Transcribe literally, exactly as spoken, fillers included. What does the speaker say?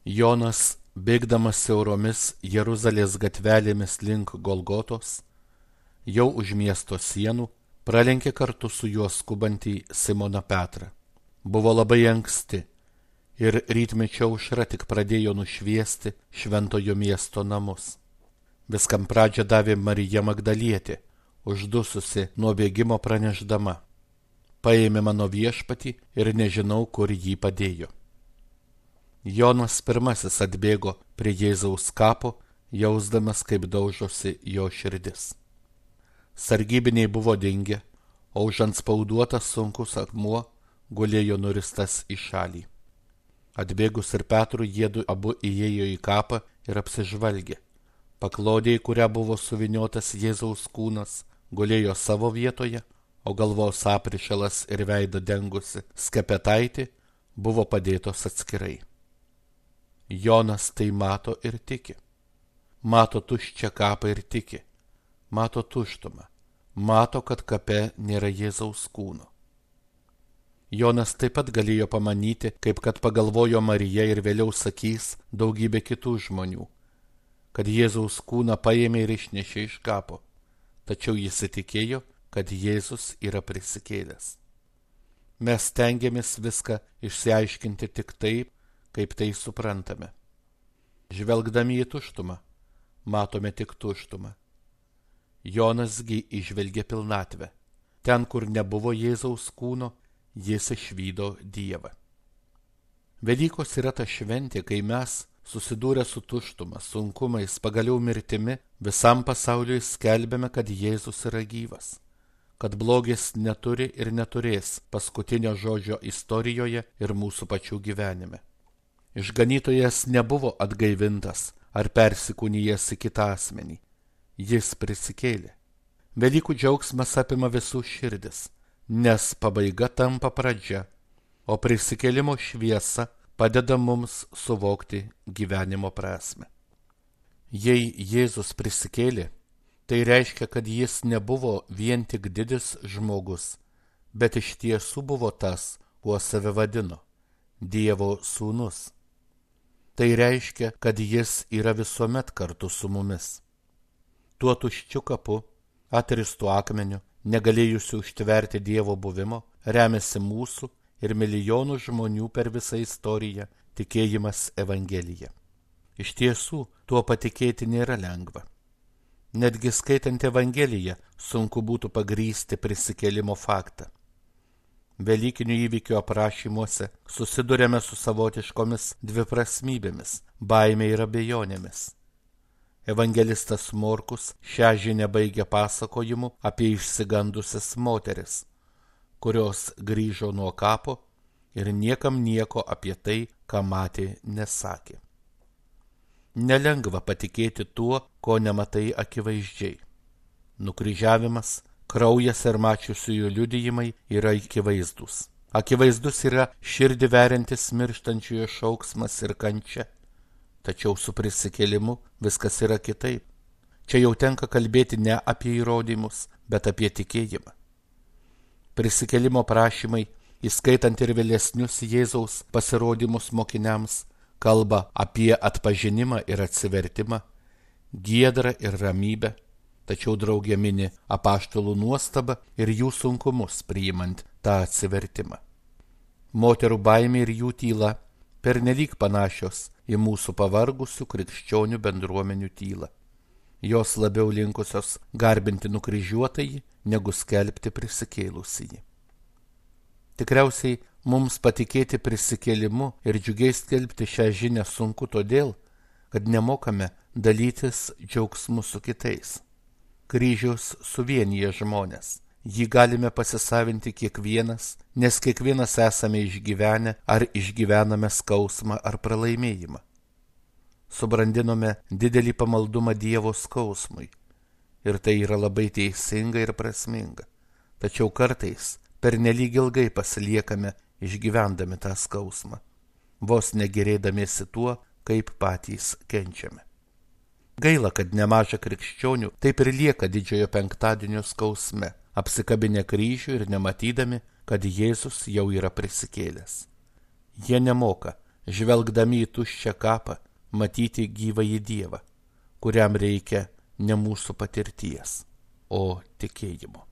Jonas, bėgdamas siauromis Jeruzalės gatvelėmis link Golgotos, jau už miesto sienų, pralenkė kartu su juo skubantį Simoną Petrą. Buvo labai anksti ir rytmečio aušra tik pradėjo nušviesti šventojo miesto namus. Viskam pradžią davė Marija Magdalietė, uždususi nuo bėgimo pranešdama: paėmė mano viešpatį ir nežinau, kur jį padėjo. Jonas pirmasis atbėgo prie Jėzaus kapo, jausdamas, kaip daužosi jo širdis. Sargybiniai buvo dingę, o užantspauduotas sunkus akmuo gulėjo nuristas į šalį. Atbėgus ir Petrui, jiedu abu įėjo į kapą ir apsižvalgė. Paklodė, į kurią buvo suviniotas Jėzaus kūnas, gulėjo savo vietoje, o galvos aprišalas ir veidą dengusi skepetaitė buvo padėtos atskirai. Jonas tai mato ir tiki. Mato tuščią kapą ir tiki. Mato tuštumą. Mato, kad kape nėra Jėzaus kūno. Jonas taip pat galėjo pamanyti, kaip kad pagalvojo Marija ir vėliau sakys daugybė kitų žmonių, kad Jėzaus kūną paėmė ir išnešė iš kapo, tačiau jis įtikėjo, kad Jėzus yra prisikėlęs. Mes stengiamės viską išsiaiškinti tik taip, kaip tai suprantame. Žvelgdami į tuštumą, matome tik tuštumą. Jonasgi įžvelgė pilnatvę. Ten, kur nebuvo Jėzaus kūno, jis išvydo Dievą. Velykos yra ta šventė, kai mes, susidūrę su tuštuma, sunkumais, pagaliau mirtimi, visam pasauliui skelbėme, kad Jėzus yra gyvas, kad blogis neturi ir neturės paskutinio žodžio istorijoje ir mūsų pačių gyvenime. Išganytojas nebuvo atgaivintas ar persikūnijęs į kitą asmenį. Jis prisikėlė. Velykų džiaugsmas apima visų širdis, nes pabaiga tampa pradžia, o prisikėlimo šviesa padeda mums suvokti gyvenimo prasmę. Jei Jėzus prisikėlė, tai reiškia, kad jis nebuvo vien tik didis žmogus, bet iš tiesų buvo tas, kuo save vadino – Dievo sūnus. Tai reiškia, kad jis yra visuomet kartu su mumis. Tuo tuščiu kapu, atristų akmeniu, negalėjusiu užtverti Dievo buvimo, remiasi mūsų ir milijonų žmonių per visą istoriją tikėjimas Evangelija. Iš tiesų, tuo patikėti nėra lengva. Netgi skaitant Evangeliją, sunku būtų pagrįsti prisikėlimo faktą. Velykinių įvykių aprašymuose susidurėme su savotiškomis dviprasmybėmis, baime ir abejonėmis. Evangelistas Morkus šią žinią baigia pasakojimu apie išsigandusias moteris, kurios grįžo nuo kapo ir niekam nieko apie tai, ką matė, nesakė. Nelengva patikėti tuo, ko nematai akivaizdžiai. Nukryžiavimas, kraujas ir mačiusiųjų liudijimai yra akivaizdus. Akivaizdus yra širdį veriantis mirštančiojo šauksmas ir kančia. Tačiau su prisikėlimu viskas yra kitaip. Čia jau tenka kalbėti ne apie įrodymus, bet apie tikėjimą. Prisikėlimo prašymai, įskaitant ir vėlesnius Jėzaus pasirodymus mokiniams, kalba apie atpažinimą ir atsivertimą, giedrą ir ramybę, tačiau draugė mini apaštalų nuostabą ir jų sunkumus priimant tą atsivertimą. Moterų baimė ir jų tyla pernelyg panašios į mūsų pavargusių krikščionių bendruomenių tylą. Jos labiau linkusios garbinti nukryžiuotąjį, negu skelbti prisikėlusįjį. Tikriausiai mums patikėti prisikėlimu ir džiugiai skelbti šią žinią sunku todėl, kad nemokame dalytis džiaugsmu su kitais. Kryžius suvienyje žmonės. Jį galime pasisavinti kiekvienas, nes kiekvienas esame išgyvenę ar išgyvename skausmą ar pralaimėjimą. Subrandinome didelį pamaldumą Dievo skausmui ir tai yra labai teisinga ir prasminga. Tačiau kartais pernelyg ilgai pasiliekame išgyvendami tą skausmą, vos negerėdamiesi tuo, kaip patys kenčiame. Gaila, kad nemaža krikščionių taip ir lieka didžiojo penktadienio skausme, apsikabinę kryžių ir nematydami, kad Jėzus jau yra prisikėlęs. Jie nemoka žvelgdami į tuščią kapą, matyti gyvąjį Dievą, kuriam reikia ne mūsų patirties, o tikėjimo.